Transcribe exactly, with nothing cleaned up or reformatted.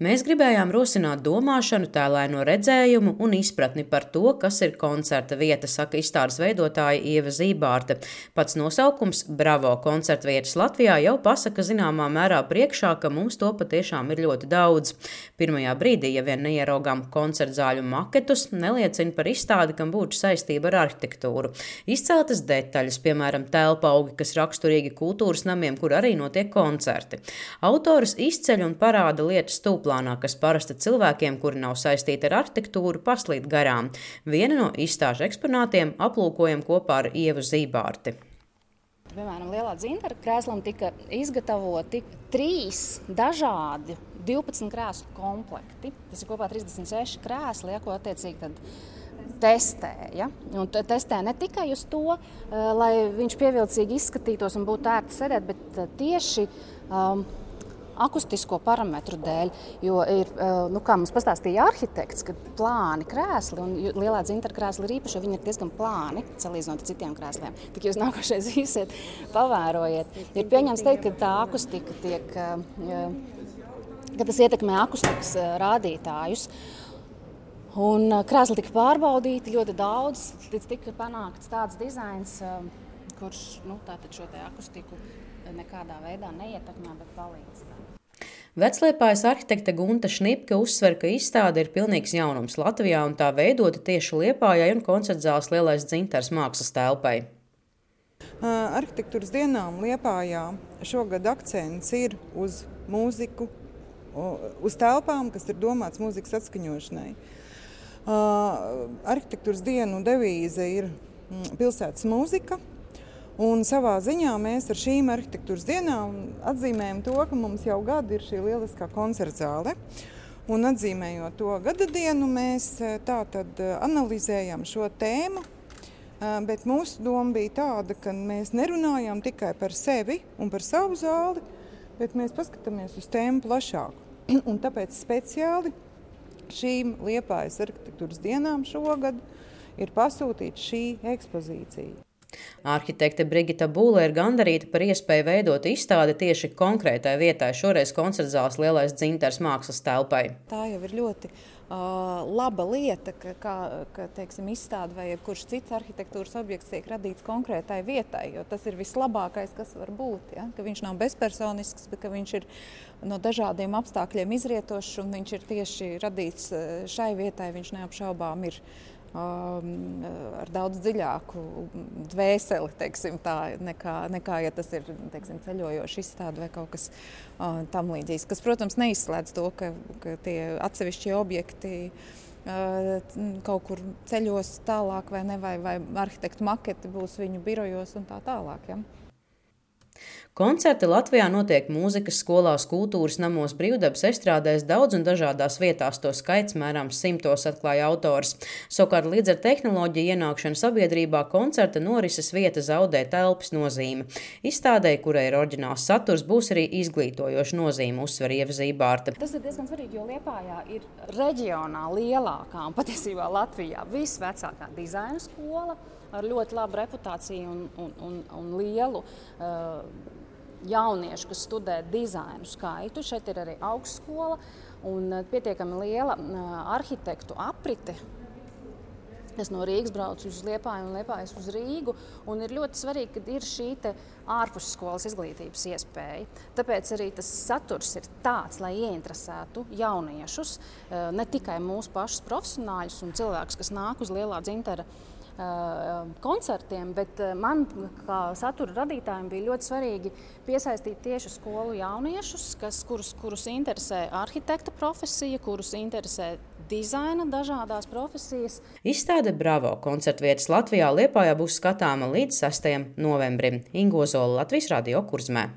Mēs gribējām rosināt domāšanu, tēlaino redzējumu un izpratni par to, kas ir koncerta vieta, saka izstādes veidotāja Ieva Zībārte. Pats nosaukums Bravo koncerta vietas Latvijā jau pasaka zināmā mērā priekšā, ka mums to patiešām ir ļoti daudz. Pirmajā brīdī, ja vien neieraugām koncerta zāļu maketus, neliecina par izstādi, kam būtu saistība ar arhitektūru. Izceltas detaļas, piemēram, telpaugi, kas raksturīgi kultūras namiem, kur arī notiek koncerti. Autors izceļ un parāda lietas stūplā, kas parasti cilvēkiem, kuri nav saistīti ar arhitektūru, paslīd garām. Viena no izstāžu eksponātiem aplūkojam kopā ar Ievu Zībārti. Piemēram, Lielā dzintara krēslam tika izgatavoti trīs dažādi divpadsmit krēslu komplekti. Tas ir kopā trīsdesmit seši krēsli, ja, ko attiecīgi tad testēja. Un testē ne tikai uz to, lai viņš pievilcīgi izskatītos un būtu ērti sēdēt, bet tieši um, akustisko parametru dēļ, jo ir, nu, kā mums pastāstīja arhitekts, ka plāni krēsli, un Lielā dzintara krēsli ir īpaši, jo viņi ir diezgan plāni, salīdzinot ar citiem krēsliem. Tik jūs nākošais īsiet, pavērojiet. Ir pieņems teikt, ka tā akustika tiek, ka tas ietekmē akustikas rādītājus. Un krēsli tika pārbaudīti ļoti daudz, līdz tika panākts tāds dizains, kurš, nu, tātad šo te akustiku nekādā veidā neietekmē, bet palīdz. Vecliepājas arhitekte Gunta Šnipke uzsver, ka izstāde ir pilnīgs jaunums Latvijā un tā veidota tieši Liepājai un koncertzāles Lielais dzintars mākslas telpai. Arhitektūras dienām Liepājā šogad akcents ir uz mūziku, uz telpām, kas ir domāts mūzikas atskaņošanai. Arhitektūras dienu devīze ir pilsētas mūzika. Un savā ziņā mēs ar šīm arhitektūras dienām atzīmējam to, ka mums jau gadu ir šī lieliskā koncertzāle. Un atzīmējot to gada dienu, mēs tā tad analizējam šo tēmu, bet mūsu doma bija tāda, ka mēs nerunājam tikai par sevi un par savu zāli, bet mēs paskatāmies uz tēmu plašāk. Un tāpēc speciāli šīm Liepājas arhitektūras dienām šogad ir pasūtīta šī ekspozīcija. Arhitekte Brigita Būle ir gandarīta par iespēju veidot izstādi tieši konkrētai vietai, šoreiz koncertzāles Lielais dzintars mākslas telpai. Tā jau ir ļoti uh, laba lieta, ka, ka, ka teiksim, izstāde vai jebkurš cits arhitektūras objekts tiek radīts konkrētai vietai, jo tas ir vislabākais, kas var būt. Ja? Ka viņš nav bezpersonisks, bet ka viņš ir no dažādiem apstākļiem izrietošs un viņš ir tieši radīts šai vietai, viņš neapšaubām ir Um, ar daudz dziļāku dvēseli, teiksim, tā, nekā, nekā, ja tas ir, teiksim, ceļojoša izstāde vai kaut kas uh, tam līdzīgs. Kas, protams, neizslēdz to, ka, ka tie atsevišķie objekti uh, kaut kur ceļos tālāk vai ne, vai, vai arhitektu maketi būs viņu birojos un tā tālāk. Ja? Koncerti Latvijā notiek mūzikas skolās, kultūras namos, brīvdabas estrādēs, daudz un dažādās vietās, to skaits mērāms simtos, atklāja autors. Savukārt līdz ar tehnoloģiju ienākšanu sabiedrībā koncerta norises vieta zaudē telpas nozīme. Izstādei, kurai ir oriģināls saturs, būs arī izglītojoša nozīme, uzsver Ieva Zībārte. Tas ir diezgan svarīgi, jo Liepājā ir reģionā lielākā un patiesībā Latvijā visvecākā dizaina skola ar ļoti labu reputāciju un, un, un, un lielu uh, jauniešu, kas studē dizainu skaitu. Šeit ir arī augstskola un pietiekami liela uh, arhitektu aprite, kas no Rīgas brauc uz Liepāju un Liepājas uz Rīgu. Un ir ļoti svarīgi, ka ir šī te ārpusskolas izglītības iespēja. Tāpēc arī tas saturs ir tāds, lai ieinteresētu jauniešus, uh, ne tikai mūsu pašus profesionāļus un cilvēkus, kas nāk uz Lielā dzintara koncertiem, bet man, kā satura radītājiem, bija ļoti svarīgi piesaistīt tieši skolu jauniešus, kas, kurus, kurus interesē arhitekta profesija, kurus interesē dizaina dažādās profesijas. Izstāde Bravo koncerta vietas Latvijā Liepājā būs skatāma līdz sestajam novembrim. Inga Ozola, Latvijas Radio Kurzmē.